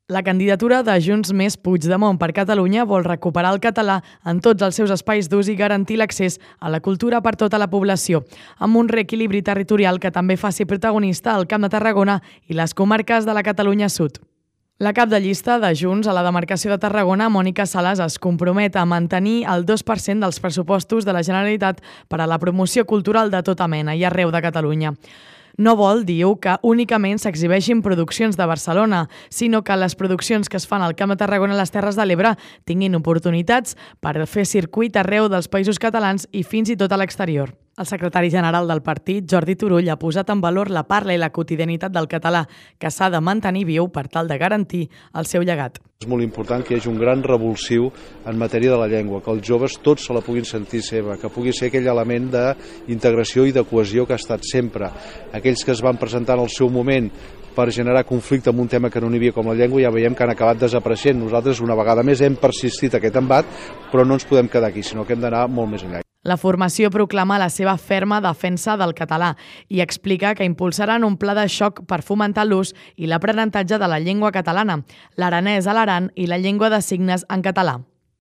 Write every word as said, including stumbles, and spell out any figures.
La candidatura de Junts Més Puigdemont per Catalunya vol recuperar el català en tots els seus espais d'ús i garantir l'accés a la cultura per tota la població, amb un reequilibri territorial que també faci protagonista el Camp de Tarragona i les comarques de la Catalunya Sud. La cap de llista de Junts a la demarcació de Tarragona, Mònica Sales, es compromet a mantenir el dos per cent dels pressupostos de la Generalitat per a la promoció cultural de tota mena i arreu de Catalunya. No vol, diu, que únicament s'exhibeixin produccions de Barcelona, sinó que les produccions que es fan al Camp de Tarragona i les Terres de l'Ebre tinguin oportunitats per fer circuit arreu dels països catalans i fins i tot a l'exterior. El secretari general del partit, Jordi Turull, ha posat en valor la parla i la quotidianitat del català, que s'ha de mantenir viu per tal de garantir el seu llegat. És molt important que hi hagi un gran revulsiu en matèria de la llengua, que els joves tots se la puguin sentir seva, que pugui ser aquell element d'integració i de cohesió que ha estat sempre. Aquells que es van presentar en el seu moment per generar conflicte amb un tema que no n'hi havia com la llengua, ja veiem que han acabat desapareixent. Nosaltres una vegada més hem persistit aquest embat, però no ens podem quedar aquí, sinó que hem d'anar molt més enllà. La formació proclama la seva ferma defensa del català i explica que impulsaran un pla de xoc per fomentar l'ús i l'aprenentatge de la llengua catalana, l'aranès a l'Aran i la llengua de signes en català.